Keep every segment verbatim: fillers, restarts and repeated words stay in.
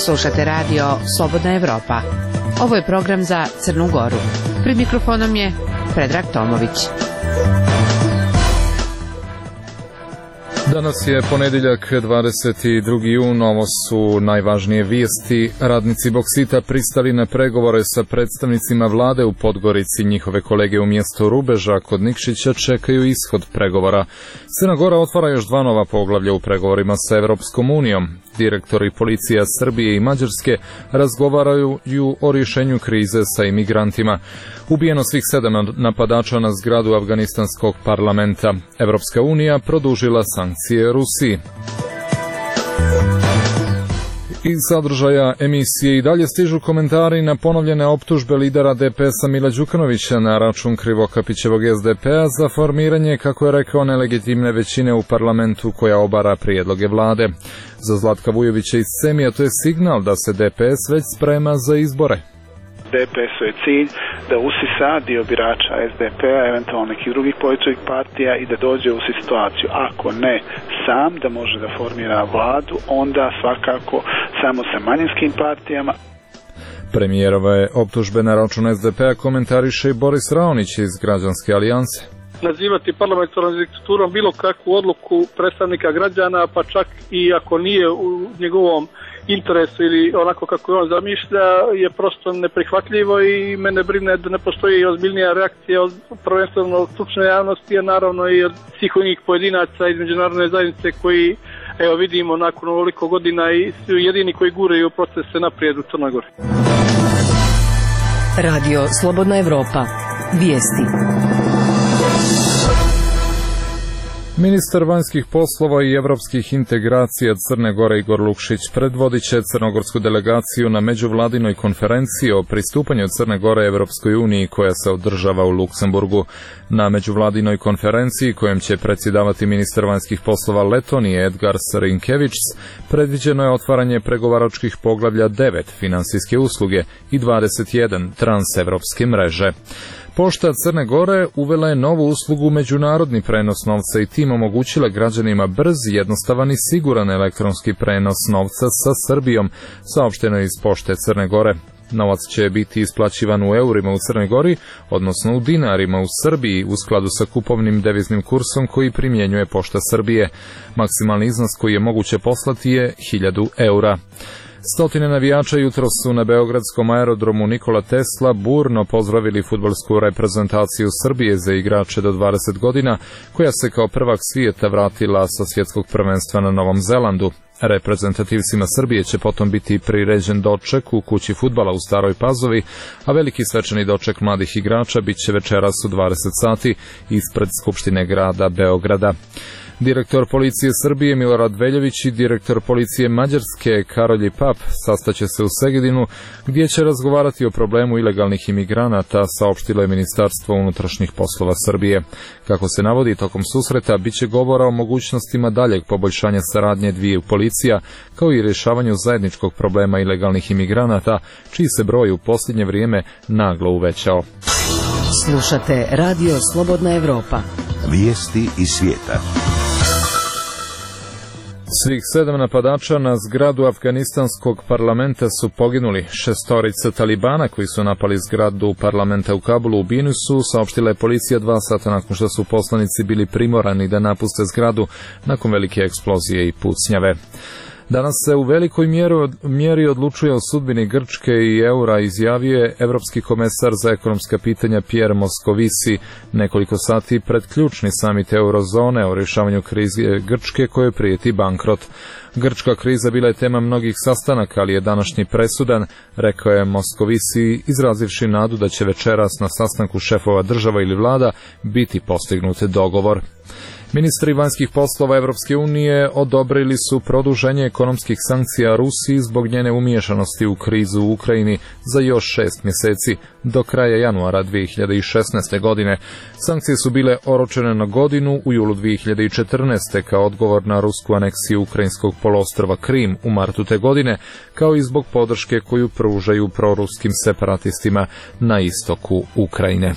Slušate radio Slobodna Evropa. Ovo je program za Crnu Goru. Pred mikrofonom je Predrag Tomović. Danas je ponedjeljak, dvadeset drugi jun, ovo su najvažnije vijesti. Radnici Boksita pristali na pregovore sa predstavnicima vlade u Podgorici. Njihove kolege u mjestu Rubeža kod Nikšića čekaju ishod pregovora. Crna Gora otvara još dva nova poglavlja u pregovorima sa Evropskom unijom. Direktori policija Srbije i Mađarske razgovaraju o rješenju krize sa imigrantima. Ubijeno svih sedam napadača na zgradu afganistanskog parlamenta. Evropska unija produžila sankcije Rusiji. Iz sadržaja emisije i dalje stižu komentari na ponovljene optužbe lidera D P S-a Mila Đukanovića na račun Krivokapićevog S D P-a za formiranje, kako je rekao, nelegitimne većine u parlamentu koja obara prijedloge vlade. Za Zlatka Vujovića iz Semija to je signal da se D P S već sprema za izbore. D P S-u je cilj da usisa dio birača S D P-a, eventualno nekih drugih političkih partija i da dođe u situaciju, ako ne sam, da može da formira vladu, onda svakako samo sa manjinskim partijama. Premijerove optužbe na račun S D P-a komentariše i Boris Raonić iz Građanske alijanse. Nazivati parlamentarnom diktaturom bilo kakvu odluku predstavnika građana, pa čak i ako nije u njegovom interesu ili onako kako on zamišlja, je prosto neprihvatljivo i mene brine da ne postoji ozbiljnija reakcija od prvenstveno stručne javnosti, a naravno i od svih onih pojedinaca iz međunarodne zajednice koji, evo vidimo, nakon ovoliko godina i su jedini koji guraju procese naprijed u Crnoj Gori. Radio Slobodna Evropa. Vijesti. Ministar vanjskih poslova i evropskih integracija Crne Gore Igor Lukšić predvodit će crnogorsku delegaciju na međuvladinoj konferenciji o pristupanju Crne Gore Evropskoj uniji koja se održava u Luksemburgu. Na međuvladinoj konferenciji kojem će predsjedavati ministar vanjskih poslova Letonije Edgars Rinkēvičs predviđeno je otvaranje pregovaračkih poglavlja devet finansijske usluge i dvadeset jedan transevropske mreže. Pošta Crne Gore uvela je novu uslugu međunarodni prenos novca i tim omogućila građanima brz, jednostavan i siguran elektronski prenos novca sa Srbijom, saopšteno je iz Pošte Crne Gore. Novac će biti isplaćivan u eurima u Crnoj Gori, odnosno u dinarima u Srbiji, u skladu sa kupovnim deviznim kursom koji primjenjuje Pošta Srbije. Maksimalni iznos koji je moguće poslati je hiljadu eura. Stotine navijača jutros su na beogradskom aerodromu Nikola Tesla burno pozdravili fudbalsku reprezentaciju Srbije za igrače do dvadeset godina, koja se kao prvak svijeta vratila sa svjetskog prvenstva na Novom Zelandu. Reprezentativcima Srbije će potom biti priređen doček u kući fudbala u Staroj Pazovi, a veliki svečani doček mladih igrača bit će večeras u dvadeset sati ispred Skupštine grada Beograda. Direktor policije Srbije Milorad Veljović i direktor policije Mađarske Karolj Pap sastaće se u Segedinu, gdje će razgovarati o problemu ilegalnih imigranata, saopštilo je Ministarstvo unutrašnjih poslova Srbije. Kako se navodi, tokom susreta biće govora o mogućnostima daljeg poboljšanja saradnje dviju policija, kao i rješavanju zajedničkog problema ilegalnih imigranata, čiji se broj u posljednje vrijeme naglo uvećao. Slušate Radio Slobodna Evropa. Vijesti iz svijeta. Svih sedam napadača na zgradu afganistanskog parlamenta su poginuli. Šestorica Talibana koji su napali zgradu parlamenta u Kabulu ubijeni su, saopštila je policija dva sata nakon što su poslanici bili primorani da napuste zgradu nakon velike eksplozije i pucnjave. Danas se u velikoj mjeri odlučuje o sudbini Grčke i eura, izjavio je evropski komesar za ekonomska pitanja Pierre Moscovici nekoliko sati pred ključni samit eurozone o rješavanju krize Grčke kojoj prijeti bankrot. Grčka kriza bila je tema mnogih sastanaka, ali je današnji presudan, rekao je Moscovici, izrazivši nadu da će večeras na sastanku šefova država ili vlada biti postignut dogovor. Ministri vanjskih poslova Evropske unije odobrili su produženje ekonomskih sankcija Rusiji zbog njene umiješanosti u krizu u Ukrajini za još šest mjeseci do kraja januara dvije hiljade šesnaeste. godine. Sankcije su bile oročene na godinu u julu dvije hiljade četrnaeste. kao odgovor na rusku aneksiju ukrajinskog poluostrva Krim u martu te godine, kao i zbog podrške koju pružaju proruskim separatistima na istoku Ukrajine.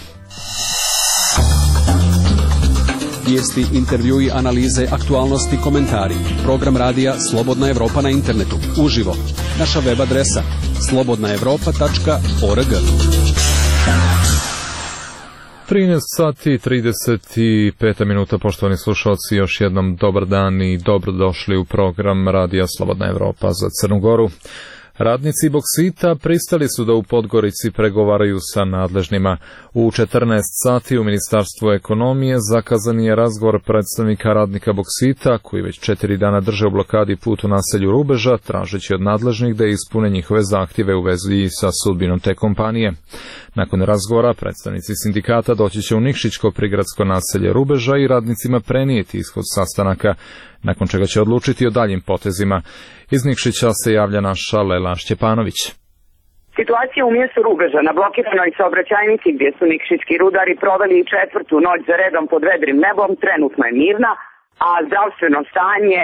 Vijesti, intervjui, analize, aktualnosti, komentari. Program radija Slobodna Evropa na internetu. Uživo. Naša web adresa slobodna evropa tačka org. trinaest sati i trideset pet minuta, poštovani slušalci, još jednom dobar dan i dobrodošli u program Radija Slobodna Evropa za Crnu Goru. Radnici Boksita pristali su da u Podgorici pregovaraju sa nadležnima. U četrnaest sati u Ministarstvu ekonomije zakazan je razgovor predstavnika radnika Boksita, koji već četiri dana drže u blokadi put u naselju Rubeža, tražeći od nadležnih da ispune njihove zahtjeve u vezi sa sudbinom te kompanije. Nakon razgovora, predstavnici sindikata doći će u Nikšićko prigradsko naselje Rubeža i radnicima prenijeti ishod sastanaka, nakon čega će odlučiti o daljim potezima. Iz Nikšića se javlja naša Lela Šćepanović. Situacija u mjestu Rubeža na blokiranoj saobraćajnici gdje su nikšićki rudari proveli četvrtu noć za redom pod vedrim nebom trenutno je mirna, a zdravstveno stanje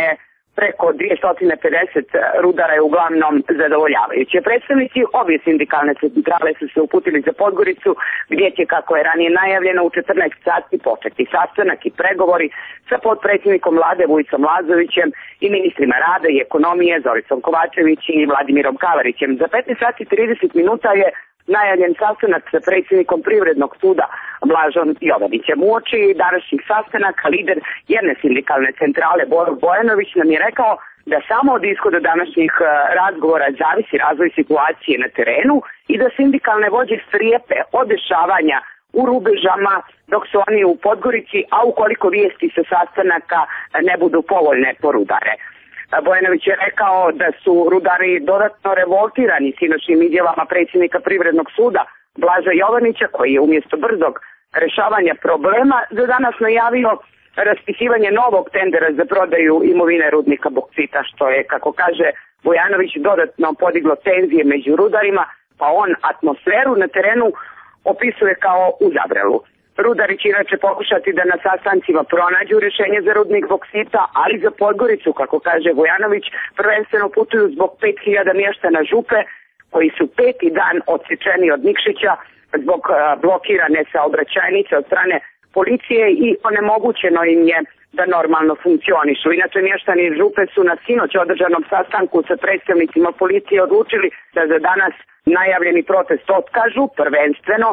preko dvjesto pedeset rudara je uglavnom zadovoljavajuće. Predstavnici obje sindikalne centrale su se uputili za Podgoricu, gdje će, kako je ranije najavljeno, u četrnaest sati početi sastanak i pregovori sa potpredsjednikom vlade Vujicom Lazovićem i ministrima rada i ekonomije Zoricom Kovačević i Vladimirom Kavarićem. Za petnaest sati i trideset minuta je najavljen sastanak sa predsjednikom Privrednog suda Blažom Jovanićem. Uoči današnjih sastanaka lider jedne sindikalne centrale Boro Bojanović nam je rekao da samo od ishoda današnjih razgovora zavisi razvoj situacije na terenu i da sindikalne vođe strijepe od dešavanja u Rubežama dok su oni u Podgorici, a ukoliko vijesti sa sastanaka ne budu povoljne po rudare. Bojanović je rekao da su rudari dodatno revoltirani sinoćnim izjavama predsjednika Privrednog suda Blaža Jovanića, koji je umjesto brzog rješavanja problema za danas najavio raspisivanje novog tendera za prodaju imovine rudnika Boksita, što je, kako kaže Bojanović, dodatno podiglo tenzije među rudarima, pa on atmosferu na terenu opisuje kao u Zabrelu. Rudari će inače pokušati da na sastancima pronađu rješenje za rudnik Boksita, ali za Podgoricu, kako kaže Vojanović, prvenstveno putuju zbog pet hiljada mještana Župe, koji su peti dan odsječeni od Nikšića zbog blokirane saobraćajnice od strane policije i onemogućeno im je da normalno funkcionišu. Inače, mještani Župe su na sinoć održanom sastanku sa predstavnicima policije odlučili da za danas najavljeni protest otkažu, prvenstveno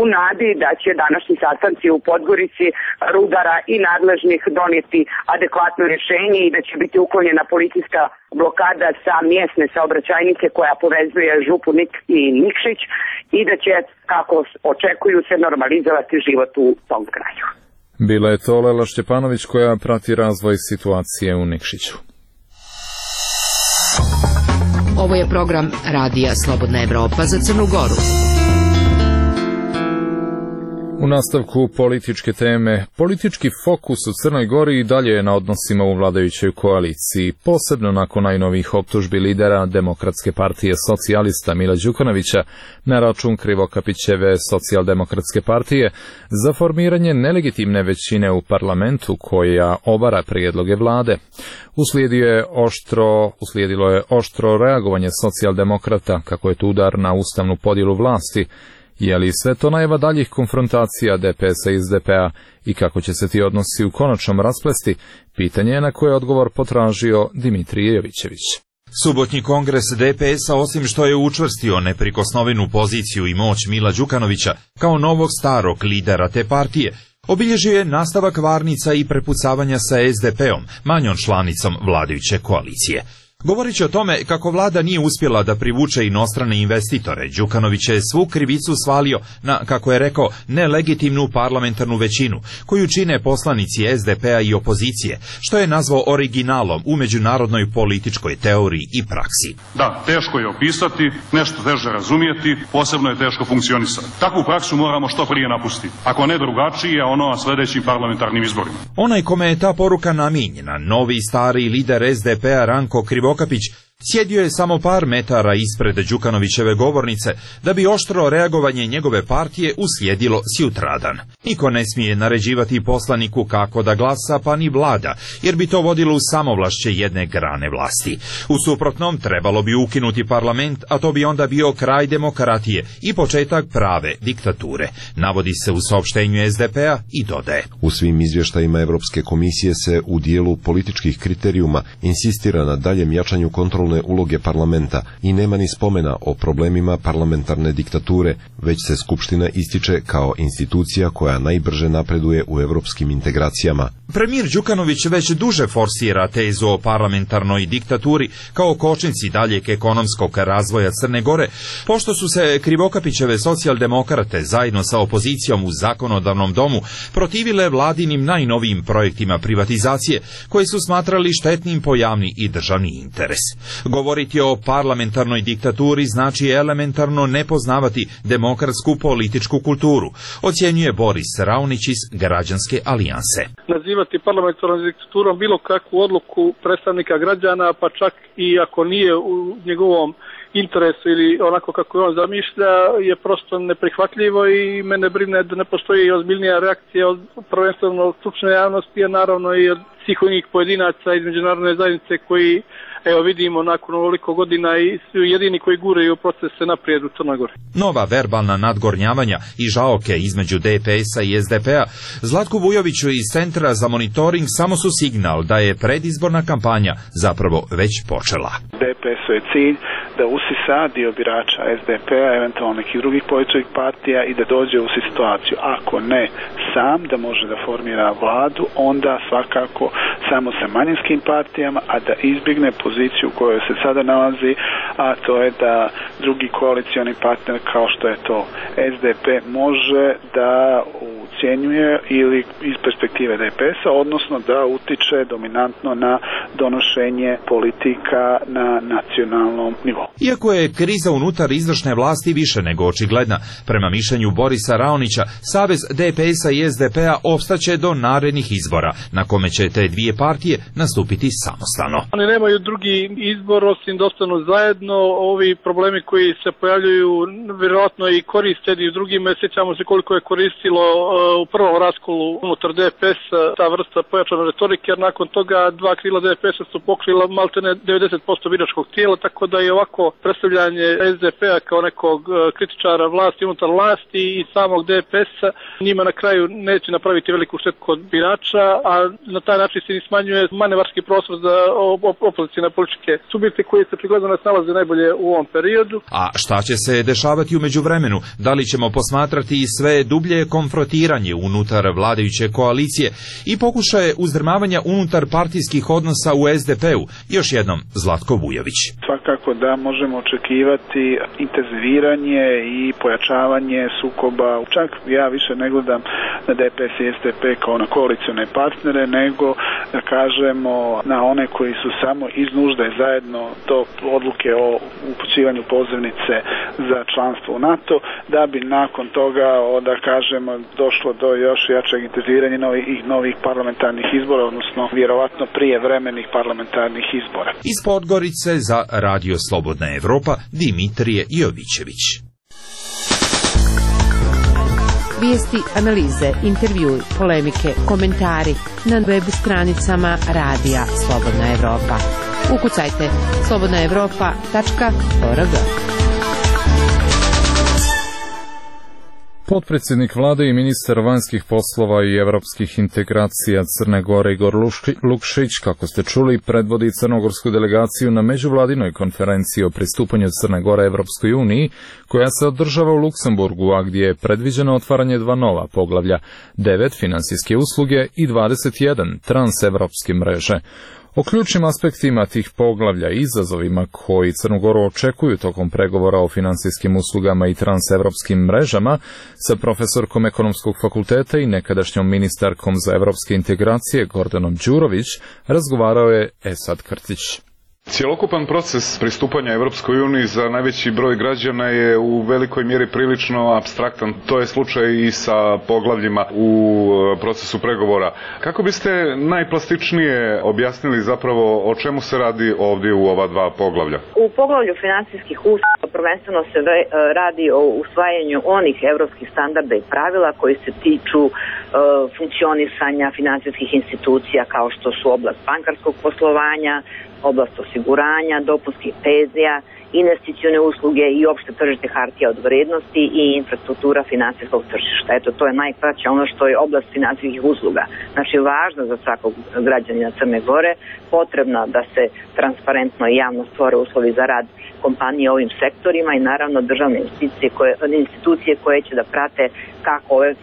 u nadi da će današnji sastanci u Podgorici rudara i nadležnih donijeti adekvatno rješenje i da će biti uklonjena policijska blokada sa mjesne saobraćajnice koja povezuje Župu Nik i Nikšić i da će, kako očekuju, se normalizovati život u tom kraju. Bila je to Lela Šćepanović koja prati razvoj situacije u Nikšiću. Ovo je program Radija Slobodna Evropa za Crnu Goru. U nastavku političke teme, politički fokus u Crnoj Gori i dalje je na odnosima u vladajućoj koaliciji, posebno nakon najnovijih optužbi lidera Demokratske partije socijalista Mila Đukanovića na račun Krivokapićeve socijaldemokratske partije za formiranje nelegitimne većine u parlamentu koja obara prijedloge vlade. Uslijedio je oštro, uslijedilo je oštro reagovanje socijaldemokrata kako je to udar na ustavnu podjelu vlasti. Je li sve to najava daljih konfrontacija D P S-a i S D P-a i kako će se ti odnosi u konačnom rasplesti, pitanje je na koje je odgovor potražio Dimitrije Jovićević. Subotnji kongres D P S-a, osim što je učvrstio neprikosnovenu poziciju i moć Mila Đukanovića kao novog starog lidera te partije, obilježio je nastavak varnica i prepucavanja sa S D P-om, manjom članicom vladajuće koalicije. Govoreći o tome kako vlada nije uspjela da privuče inostrane investitore, Đukanović je svu krivicu svalio na, kako je rekao, nelegitimnu parlamentarnu većinu, koju čine poslanici S D P-a i opozicije, što je nazvao originalom u međunarodnoj političkoj teoriji i praksi. Da, teško je opisati, nešto teže razumijeti, posebno je teško funkcionisati. Takvu praksu moramo što prije napustiti, ako ne drugačije, ono na sljedećim parlamentarnim izborima. Onaj kome je ta poruka namijenjena, novi stari lider S D P-a Ranko Krivokapić, sjedio je samo par metara ispred Đukanovićeve govornice da bi oštro reagovanje njegove partije uslijedilo sjutradan. Niko ne smije naređivati poslaniku kako da glasa, pa ni vlada, jer bi to vodilo u samovlašće jedne grane vlasti. U suprotnom trebalo bi ukinuti parlament, a to bi onda bio kraj demokratije i početak prave diktature, navodi se u saopštenju S D P-a i dodaje. U svim izvještajima Europske komisije se u dijelu političkih kriterijuma insistira na daljem jačanju kontrole kontrolne uloge parlamenta i nema ni spomena o problemima parlamentarne diktature, već se Skupština ističe kao institucija koja najbrže napreduje u evropskim integracijama. Premijer Đukanović već duže forsira tezu o parlamentarnoj diktaturi kao kočnici daljeg ekonomskog razvoja Crne Gore, pošto su se Krivokapićeve socijaldemokrate zajedno sa opozicijom u zakonodavnom domu protivile vladinim najnovijim projektima privatizacije, koji su smatrali štetnim po javni i državni interes. Govoriti o parlamentarnoj diktaturi znači elementarno ne poznavati demokratsku političku kulturu, ocjenjuje Boris Raunić iz Građanske alijanse. Nazivati parlamentarnom diktaturom bilo kakvu odluku predstavnika građana, pa čak i ako nije u njegovom interesu ili onako kako je on zamišlja, je prosto neprihvatljivo i mene brine da ne postoji ozbiljnija reakcija od prvenstveno od stručne javnosti, a naravno i od svih onih pojedinaca iz međunarodne zajednice koji, evo vidimo, nakon ovoliko godina i su jedini koji guraju procese naprijed u Crnoj Gori. Nova verbalna nadgornjavanja i žaoke između D P S-a i S D P-a Zlatku Vujoviću iz Centra za monitoring samo su signal da je predizborna kampanja zapravo već počela. D P S-u je cilj da usisa dio birača S D P-a, eventualno nekih drugih političkih partija i da dođe u situaciju, ako ne sam, da može da formira vladu, onda svakako samo sa manjinskim partijama, a da izbjegne poziciju u kojoj se sada nalazi, a to je da drugi koalicioni partner kao što je to S D P može da ucjenjuje ili iz perspektive D P S-a, odnosno da utiče dominantno na donošenje politika na nacionalnom nivou. Iako je kriza unutar izvršne vlasti više nego očigledna, prema mišljenju Borisa Raonića, savez D P S-a i S D P-a opstaće do narednih izbora, na kome će te dvije partije nastupiti samostalno. Oni nemaju drugi izbor osim da ostanu zajedno. Ovi problemi koji se pojavljuju vjerojatno i koriste i u drugim, sjećamo se koliko je koristilo u prvom raskolu unutar D P S-a ta vrsta pojačane retorike, jer nakon toga dva krila D P S-a su pokrila maltene devedeset posto biračkog tijela, tako da je ovako predstavljanje S D P-a kao nekog kritičara vlasti unutar vlasti i samog D P S-a njima na kraju neće napraviti veliku štetu kod birača, a na taj način se smanjuje manevarski prostor za opozicijne političke subjekte koji se prigledno ne snalaze najbolje u ovom periodu. A šta će se dešavati u međuvremenu? Da li ćemo posmatrati sve dublje konfrontiranje unutar vladajuće koalicije i pokušaje uzdrmavanja unutar partijskih odnosa u S D P-u? Još jednom Zlatko Vujović. Svakako da možemo očekivati intenziviranje i pojačavanje sukoba. Čak ja više ne gledam na D P S i S D P kao na koalicione partnere, nego da kažemo na one koji su samo iz nužde zajedno do odluke o upućivanju pozivnice za članstvo u NATO, da bi nakon toga, da kažemo, došlo do još jačeg intenziviranja novih, novih parlamentarnih izbora, odnosno vjerovatno prije vremenih parlamentarnih izbora. Iz Podgorice za Radio Slobodna Evropa, Dimitrije Jovićević. Vijesti, analize, intervjui, polemike, komentari na web stranicama Radija Slobodna Evropa. Ukucajte slobodna evropa tačka org. Potpredsjednik vlade i ministar vanjskih poslova i evropskih integracija Crne Gore Igor Lukšić, kako ste čuli, predvodi crnogorsku delegaciju na međuvladinoj konferenciji o pristupanju Crne Gore Evropskoj uniji, koja se održava u Luksemburgu, a gdje je predviđeno otvaranje dva nova poglavlja, devet finansijske usluge i dvadeset jedan transevropske mreže. O ključnim aspektima tih poglavlja i izazovima koji Crnu Goru očekuju tokom pregovora o finansijskim uslugama i transevropskim mrežama sa profesorkom Ekonomskog fakulteta i nekadašnjom ministarkom za evropske integracije Gordanom Đurović razgovarao je Esad Krtić. Cjelokupan proces pristupanja Evropskoj uniji za najveći broj građana je u velikoj mjeri prilično apstraktan. To je slučaj i sa poglavljima u procesu pregovora. Kako biste najplastičnije objasnili zapravo o čemu se radi ovdje u ova dva poglavlja? U poglavlju finansijskih usluga prvenstveno se radi o usvajanju onih evropskih standarda i pravila koji se tiču e, funkcionisanja finansijskih institucija kao što su oblast bankarskog poslovanja, oblast osiguranja, dopunskih penzija investicione usluge i opšte tržište hartija od vrednosti i infrastruktura finansijskog tržišta. Eto, to je najkraće ono što je oblast finansijskih usluga. Znači, važno za svakog građanina Crne Gore, potrebno da se transparentno i javno stvore uslovi za rad kompanije ovim sektorima i naravno državne institucije koje, institucije koje će da prate kako ove,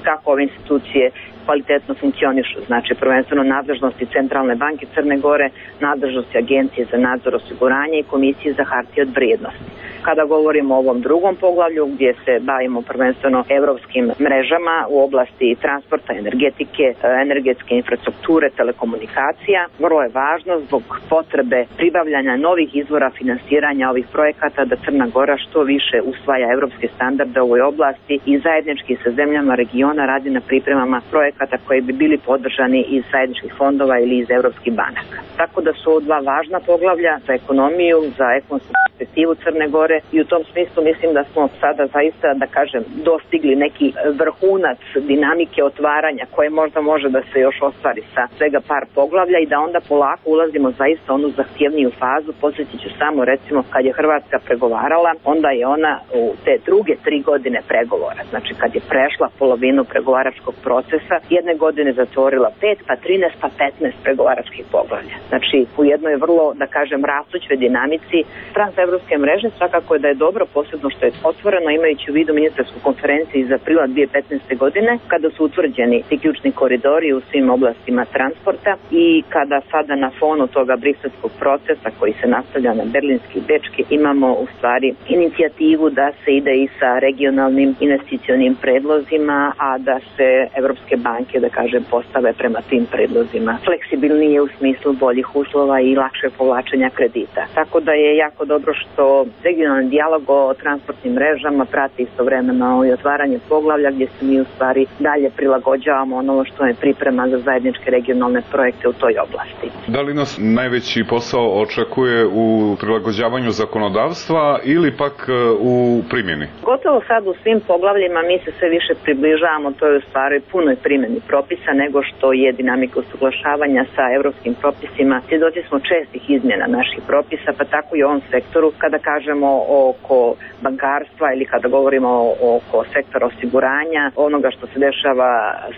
kako ove institucije kvalitetno funkcionišu. Znači, prvenstveno nadležnosti Centralne banke Crne Gore, nadležnosti Agencije za nadzor osiguranja i Komisije za hartije od vrijednosti. Kada govorimo o ovom drugom poglavlju gdje se bavimo prvenstveno evropskim mrežama u oblasti transporta, energetike, energetske infrastrukture, telekomunikacija, vrlo je važno zbog potrebe pribavljanja novih izvora finansiranja ovih projekata da Crna Gora što više usvaja evropske standarde u ovoj oblasti i zajednički sa zemljama regiona radi na pripremama projekata koji bi bili podržani iz zajedničkih fondova ili iz evropskih banaka. Tako da su ovo dva važna poglavlja za ekonomiju, za ekonomsku perspektivu Crne Gore i u tom smislu mislim da smo sada zaista, da kažem, dostigli neki vrhunac dinamike otvaranja koje možda može da se još ostvari sa svega par poglavlja i da onda polako ulazimo zaista onu zahtjevniju fazu. Podsjetit ću samo, recimo, kad je Hrvatska pregovarala, onda je ona u te druge tri godine pregovora, znači kad je prešla polovinu pregovaračkog procesa, jedne godine zatvorila pet, pa trinaest, pa petnaest pregovaračkih poglavlja. Znači, u jednoj vrlo, da kažem, rastućoj dinamici transevropske mreže, svakako je da je dobro, posebno što je otvoreno, imajući u vidu ministarsku konferenciju iz aprila dve hiljade petnaeste. godine, kada su utvrđeni ti ključni koridori u svim oblastima transporta i kada sada na fonu toga briselskog procesa koji se nastavlja na berlinski i bečki, imamo u stvari inicijativu da se ide i sa regionalnim investicionim predlozima, a da se evropske banke, da kažem, postave prema tim predlozima fleksibilnije u smislu boljih uslova i lakše povlačenja kredita. Tako da je jako dobro što regionalni dijalog o transportnim mrežama prati istovremeno i otvaranje poglavlja gdje se mi u stvari dalje prilagođavamo ono što je priprema za zajedničke regionalne projekte u toj oblasti. Da li nas najveći posao očekuje u prilagođavanju zakonodavstva ili pak u primjeni? Gotovo sad u svim poglavljima mi se sve više približavamo toj u stvari punoj primjeni propisa nego što je dinamika usuglašavanja sa evropskim propisima. Svjedoci smo čestih izmjena naših propisa, pa tako i u ovom sektoru kada kažemo oko bankarstva ili kada govorimo oko sektora osiguranja, onoga što se dešava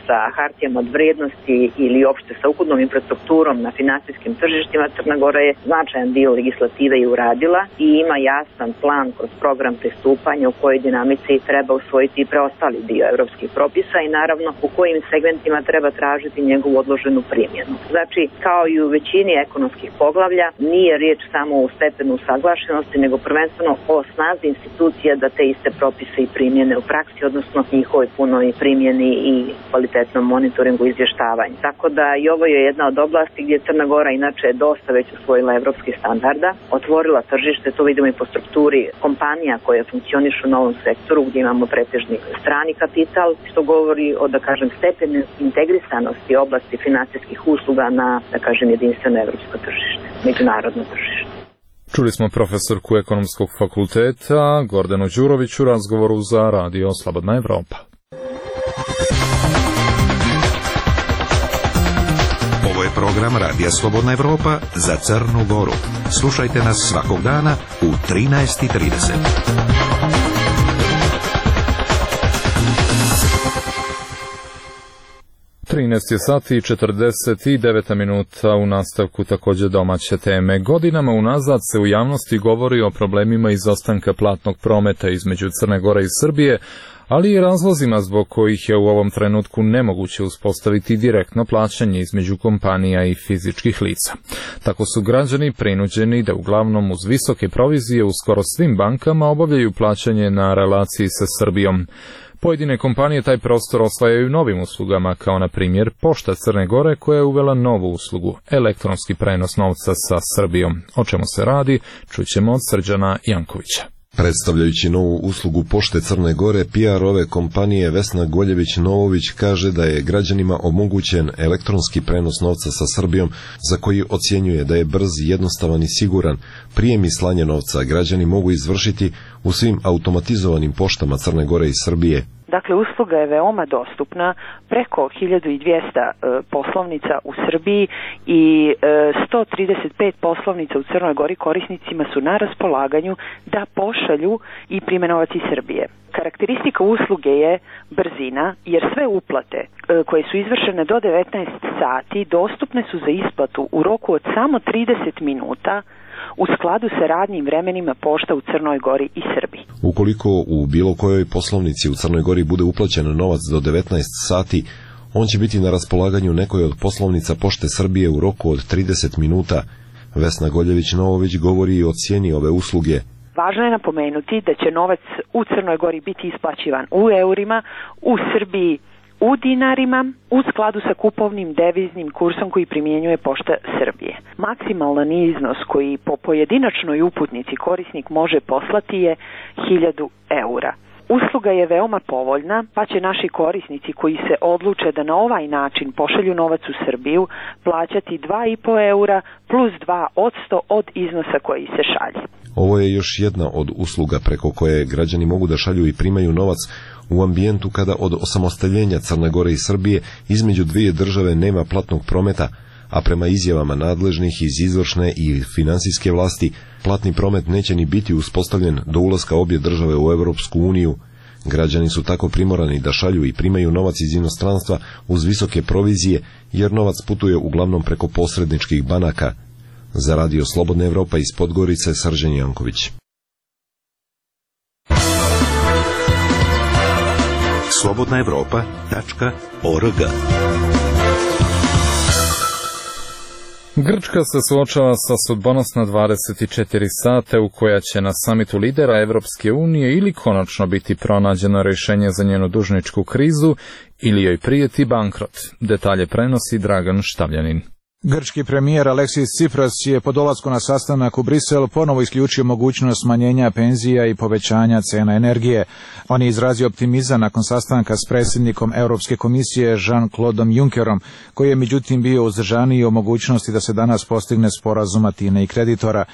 sa hartijama od vrijednosti ili uopšte sa ukupnom infrastrukturom na finansijskim tržištima, Crna Gora je značajan dio legislative i uradila i ima jasan plan kroz program pristupanja u kojoj dinamici treba usvojiti i preostali dio evropskih propisa i naravno u kojim segmentima treba tražiti njegovu odloženu primjenu. Znači, kao i u većini ekonomskih poglavlja, nije riječ samo u stepenu usaglašenosti, nego prvenstveno o snazi institucija da te iste propise i primjene u praksi, odnosno njihovoj punoj primjeni i kvalitetnom monitoringu i izvještavanju. Tako da i ovo je jedna od oblasti gdje Crna Gora inače je dosta već usvojila evropskih standarda, otvorila tržište, to vidimo i po strukturi kompanija koje funkcionišu u novom sektoru gdje imamo pretežni strani kapital, što govori o, da kažem, stepenu integrisanosti oblasti finansijskih usluga na, da kažem, jedinstveno evropsko tržište, međunarodno tržište. Čuli smo profesorku Ekonomskog fakulteta Gordanu Đurović u razgovoru za Radio Slobodna Evropa. Ovo je program Radija Slobodna Evropa za Crnu Goru. Slušajte nas svakog dana u trinaest i trideset. trinaest je sati i četrdeset devet minuta, u nastavku također domaće teme. Godinama unazad se u javnosti govori o problemima izostanka platnog prometa između Crne Gore i Srbije, ali i razlozima zbog kojih je u ovom trenutku nemoguće uspostaviti direktno plaćanje između kompanija i fizičkih lica. Tako su građani prinuđeni da uglavnom uz visoke provizije u skoro svim bankama obavljaju plaćanje na relaciji sa Srbijom. Pojedine kompanije taj prostor osvajaju novim uslugama, kao na primjer Pošta Crne Gore koja je uvela novu uslugu, elektronski prenos novca sa Srbijom. O čemu se radi, čućemo od Srđana Jankovića. Predstavljajući novu uslugu Pošte Crne Gore, P R ove kompanije Vesna Goljević-Novović kaže da je građanima omogućen elektronski prenos novca sa Srbijom, za koji ocjenjuje da je brz, jednostavan i siguran. Prijem i slanje novca građani mogu izvršiti u svim automatizovanim poštama Crne Gore i Srbije. Dakle, usluga je veoma dostupna, preko hiljadu dvjesto e, poslovnica u Srbiji i e, sto trideset pet poslovnica u Crnoj Gori korisnicima su na raspolaganju da pošalju i prime novac iz Srbije. Karakteristika usluge je brzina, jer sve uplate e, koje su izvršene do devetnaest sati dostupne su za isplatu u roku od samo trideset minuta u skladu sa radnim vremenima pošta u Crnoj Gori i Srbiji. Ukoliko u bilo kojoj poslovnici u Crnoj Gori bude uplaćen novac do devetnaest sati, on će biti na raspolaganju nekoj od poslovnica Pošte Srbije u roku od trideset minuta. Vesna Goljević-Novović govori i o cijeni ove usluge. Važno je napomenuti da će novac u Crnoj Gori biti isplaćivan u eurima, u Srbiji u dinarima, u skladu sa kupovnim deviznim kursom koji primjenjuje Pošta Srbije. Maksimalan iznos koji po pojedinačnoj uputnici korisnik može poslati je hiljadu eura. Usluga je veoma povoljna, pa će naši korisnici koji se odluče da na ovaj način pošalju novac u Srbiju plaćati dva i po eura plus dva odsto od iznosa koji se šalje. Ovo je još jedna od usluga preko koje građani mogu da šalju i primaju novac u ambijentu kada od osamostaljenja Crne Gore i Srbije između dvije države nema platnog prometa, a prema izjavama nadležnih iz izvršne i finansijske vlasti, platni promet neće ni biti uspostavljen do ulaska obje države u Europsku uniju. Građani su tako primorani da šalju i primaju novac iz inostranstva uz visoke provizije, jer novac putuje uglavnom preko posredničkih banaka. Za Radio Slobodna Evropa iz Podgorice, Srđan Janković. slobodna evropa tačka org. Grčka se suočava sa sudbonosna dvadeset četiri sata u koja će na samitu lidera Evropske unije ili konačno biti pronađeno rješenje za njenu dužničku krizu ili joj prijeti bankrot. Detalje prenosi Dragan Štavljanin. Grčki premijer Aleksis Tsipras je po dolasku na sastanak u Brisel ponovo isključio mogućnost smanjenja penzija i povećanja cena energije. On je izrazio optimizam nakon sastanka s predsjednikom Europske komisije Jean-Claudeom Junckerom, koji je međutim bio uzdržaniji o mogućnosti da se danas postigne sporazum Atine i kreditora.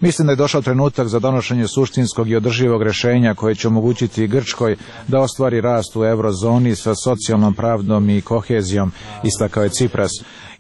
Mislim da je došao trenutak za donošenje suštinskog i održivog rješenja koje će omogućiti Grčkoj da ostvari rast u eurozoni sa socijalnom pravdom i kohezijom, istakao je Tsipras.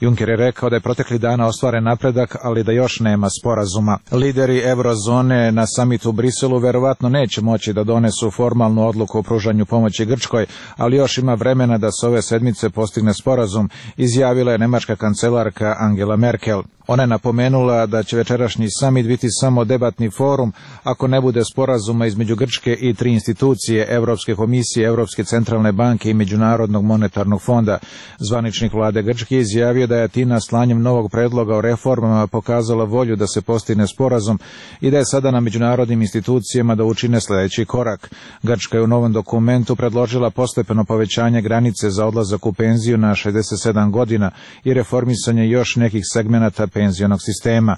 Juncker je rekao da je protekli dana ostvaren napredak, ali da još nema sporazuma. Lideri eurozone na samitu u Briselu verovatno neće moći da donesu formalnu odluku o pružanju pomoći Grčkoj, ali još ima vremena da se ove sedmice postigne sporazum, izjavila je nemačka kancelarka Angela Merkel. Ona je napomenula da će večerašnji samit biti samo debatni forum ako ne bude sporazuma između Grčke i tri institucije, Europske komisije, Europske centralne banke i Međunarodnog monetarnog fonda. Zvaničnik vlade Grčke izjavio da je Atina slanjem novog predloga o reformama pokazala volju da se postigne sporazum i da je sada na međunarodnim institucijama da učine sljedeći korak. Grčka je u novom dokumentu predložila postepeno povećanje granice za odlazak u penziju na šezdeset sedam godina i reformisanje još nekih segmenata penzionog sistema.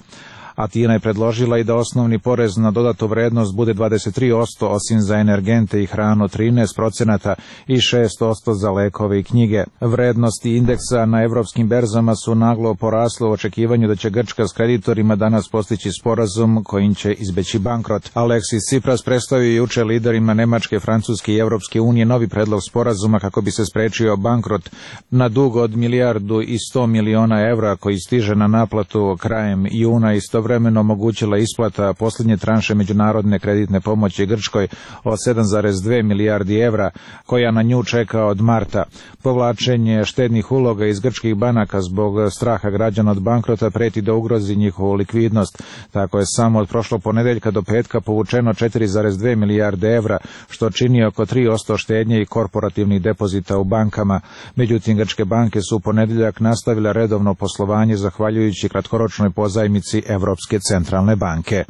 Atina je predložila i da osnovni porez na dodatu vrednost bude dvadeset tri posto, osim za energente i hranu trinaest procenata i šest posto za lekove i knjige. Vrednosti indeksa na evropskim berzama su naglo porasle u očekivanju da će Grčka s kreditorima danas postići sporazum kojim će izbeći bankrot. Aleksis Tsipras predstavio juče liderima Nemačke, Francuske i Evropske unije novi predlog sporazuma kako bi se sprečio bankrot na dug od milijardu i sto miliona evra koji stiže na naplatu krajem juna i istovremeno omogućila isplata posljednje tranše međunarodne kreditne pomoći Grčkoj od sedam zarez dve milijardi evra, koja na nju čeka od marta. Povlačenje štednih uloga iz grčkih banaka zbog straha građana od bankrota preti da ugrozi njihovu likvidnost. Tako je samo od prošlog ponedeljka do petka povučeno četiri zarez dve milijarde evra, što čini oko tri posto štednje i korporativnih depozita u bankama. Međutim, grčke banke su u ponedeljak nastavile redovno poslovanje zahvaljujući kratkoročnoj pozajmici Evropske centralne banke.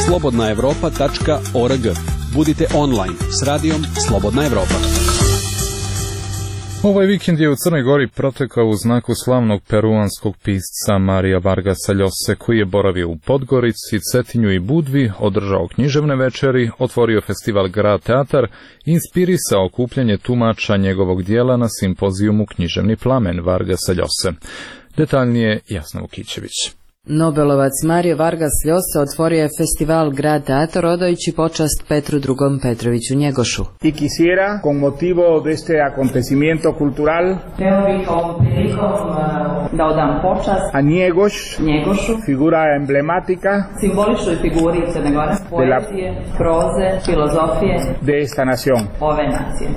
slobodna evropa tačka org. Budite online s radijom Slobodna Evropa. Ovaj vikend je u Crnoj Gori protekao u znaku slavnog peruanskog pisca Marija Vargasa Ljose, koji je boravio u Podgorici, Cetinju i Budvi, održao književne večeri, otvorio festival Grad Teatar i inspirisao okupljanje tumača njegovog dijela na simpozijumu Književni plamen Vargasa Ljose. Detaljnije Jasna Vukićević. Nobelovac Mario Vargas Llosa otvorio je festival Grad Teatro odajući počast Petru drugom Petroviću Njegošu. Y quisiera, con motivo de este acontecimiento cultural, da odam počast a Njegoš, Njegošu, figura emblemática, simboličnoj figuri Crne Gore, poezije, proze, filozofije de esta nación. Ove nacije.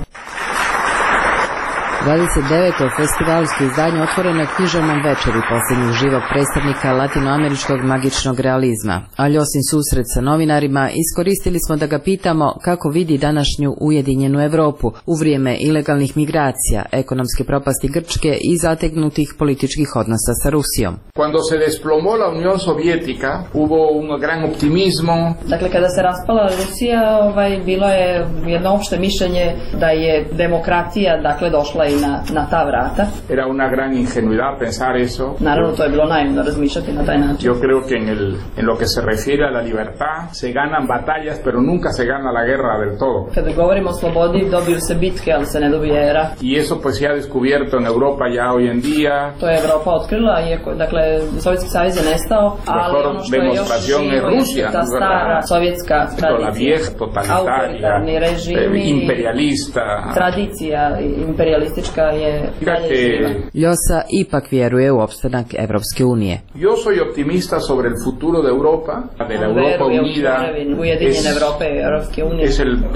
dvadeset deveto festivalsko izdanje otvoreno je književnom večeri posljednjeg živog predstavnika latinoameričkog magičnog realizma, a Ljosin susret sa novinarima iskoristili smo da ga pitamo kako vidi današnju ujedinjenu Europu u vrijeme ilegalnih migracija, ekonomske propasti Grčke i zategnutih političkih odnosa sa Rusijom. Cuando se desplomó la Unión Soviética, hubo un gran optimismo. Dakle, kada se raspala Rusija, ovaj, bilo je jedno opšte mišljenje da je demokratija, dakle, došla i na, na ta vrata. Era una gran ingenuidad pensar eso. Naravno, to je bilo naivno razmišljati na taj način. Yo creo que en, el, en lo que se refiere a la libertad se ganan batallas, pero nunca se gana la guerra del todo. Kada govorimo o slobodi, dobiju se bitke, ali se ne dobije era. Y eso pues se ha descubierto en Europa ya hoy en día. To je Evropa otkrila, iako, dakle, Sovjetski savez je nestao, ali ono što je još živo je ta stara sovjetska tradicija, autoritarni režimi, imperialista, tradicija imperialistička je dalje živa. Llosa ipak vjeruje u opstanak Evropske unije. Yo soy optimista sobre el futuro de Europa, de la Europa unida. Ujedinjene Evrope i Evropske unije.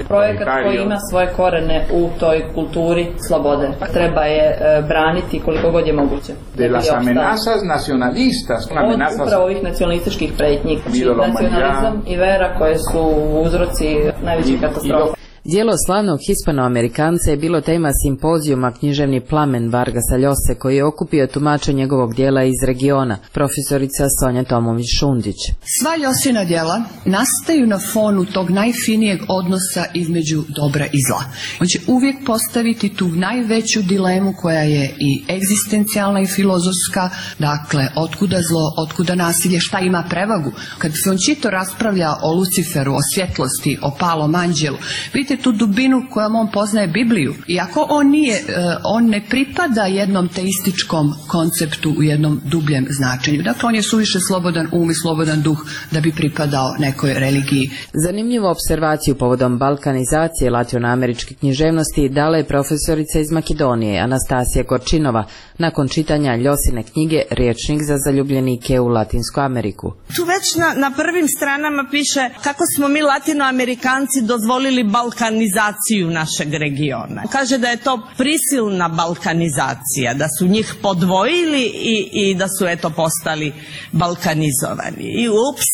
Projekat koji ima svoje korene u toj kulturi slobode. Treba je braniti koliko god je moguće. De las amenazas nacionalistas, amenazas od upravo ovih nacionalističkih pretnji, nacionalizam i vera koje su uzroci najvećih katastrofa. Dijelo slavnog Hispanoamerikanca je bilo tema simpozijuma Književni plamen Vargasa Ljose, koji je okupio tumače njegovog dijela iz regiona, profesorica Sonja Tomović-Šundić. Sva Ljosina djela nastaju na fonu tog najfinijeg odnosa između dobra i zla. On će uvijek postaviti tu najveću dilemu koja je i egzistencijalna i filozofska, dakle, otkuda zlo, otkuda nasilje, šta ima prevagu. Kad se on čito raspravlja o Luciferu, o svjetlosti, o palom anđelu, vidite tu dubinu kojom on poznaje Bibliju. Iako on nije, on ne pripada jednom teističkom konceptu u jednom dubljem značenju. Dakle, on je suviše slobodan um i slobodan duh da bi pripadao nekoj religiji. Zanimljivu observaciju povodom balkanizacije latinoameričke književnosti dala je profesorica iz Makedonije, Anastasija Korčinova, nakon čitanja Ljosine knjige Riječnik za zaljubljenike u Latinsku Ameriku. Tu već na, na prvim stranama piše kako smo mi latinoamerikanci dozvolili balkanizaciju našeg regiona. Kaže da je to prisilna balkanizacija, da su njih podvojili i, i da su eto postali balkanizovani. I ups,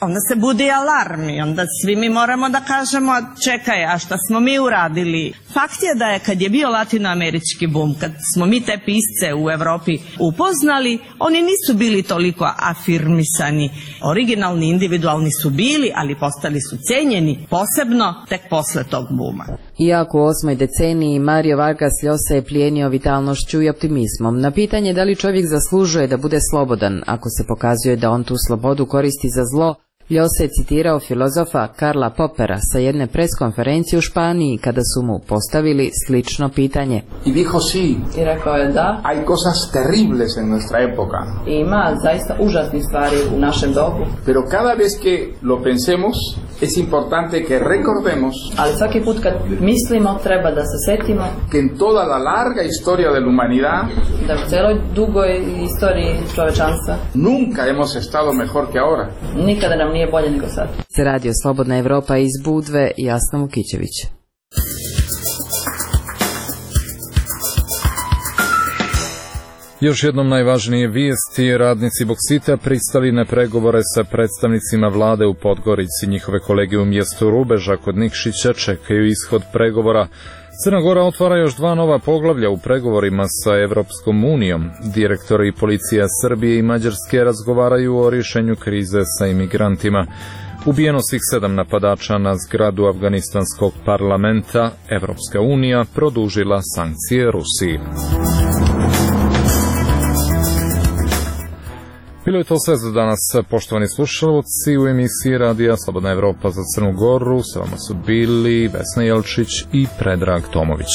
onda se budi alarm i onda svi mi moramo da kažemo čekaj, a šta smo mi uradili? Fakt je da je kad je bio latinoamerički bum, kad smo mi te pisce u Evropi upoznali, oni nisu bili toliko afirmisani. Originalni, individualni su bili, ali postali su cenjeni, posebno tek posle tog buma. Iako u osmoj deceniji Mario Vargas Llosa je plijenio vitalnošću i optimizmom. Na pitanje da li čovjek zaslužuje da bude slobodan, ako se pokazuje da on tu slobodu koristi za zlo, Llosa je citirao filozofa Karla Popera sa jedne preskonferencije u Španiji kada su mu postavili slično pitanje. I dijo sí. I rekao je da. Hay cosas terribles en nuestra época. Ima zaista užasnih stvari u našem dobu. Pero cada vez que lo pensemos, es importante que recordemos. Ali svaki put kad mislimo treba da se setimo. Que en toda la larga historia de la humanidad. Da u celoj dugoj istoriji čovečanstva. Nunca hemos estado mejor que ahora. Nikada nam nije bolje nego sad. Se radio Slobodna Evropa iz Budve, Jasna Vukićević. Još jednom najvažnije vijesti, radnici Boksita pristali na pregovore sa predstavnicima vlade u Podgorici. Njihove kolege u mjestu Rubeža kod Nikšića čekaju ishod pregovora. Crna Gora otvara još dva nova poglavlja u pregovorima sa Evropskom unijom. Direktori policija Srbije i Mađarske razgovaraju o rješenju krize sa imigrantima. Ubijeno svih sedam napadača na zgradu afganistanskog parlamenta. Evropska unija produžila sankcije Rusiji. Bilo je to sve za danas, poštovani slušalci, u emisiji Radija Slobodna Evropa za Crnu Goru. Sa vama su bili Vesna Jelčić i Predrag Tomović.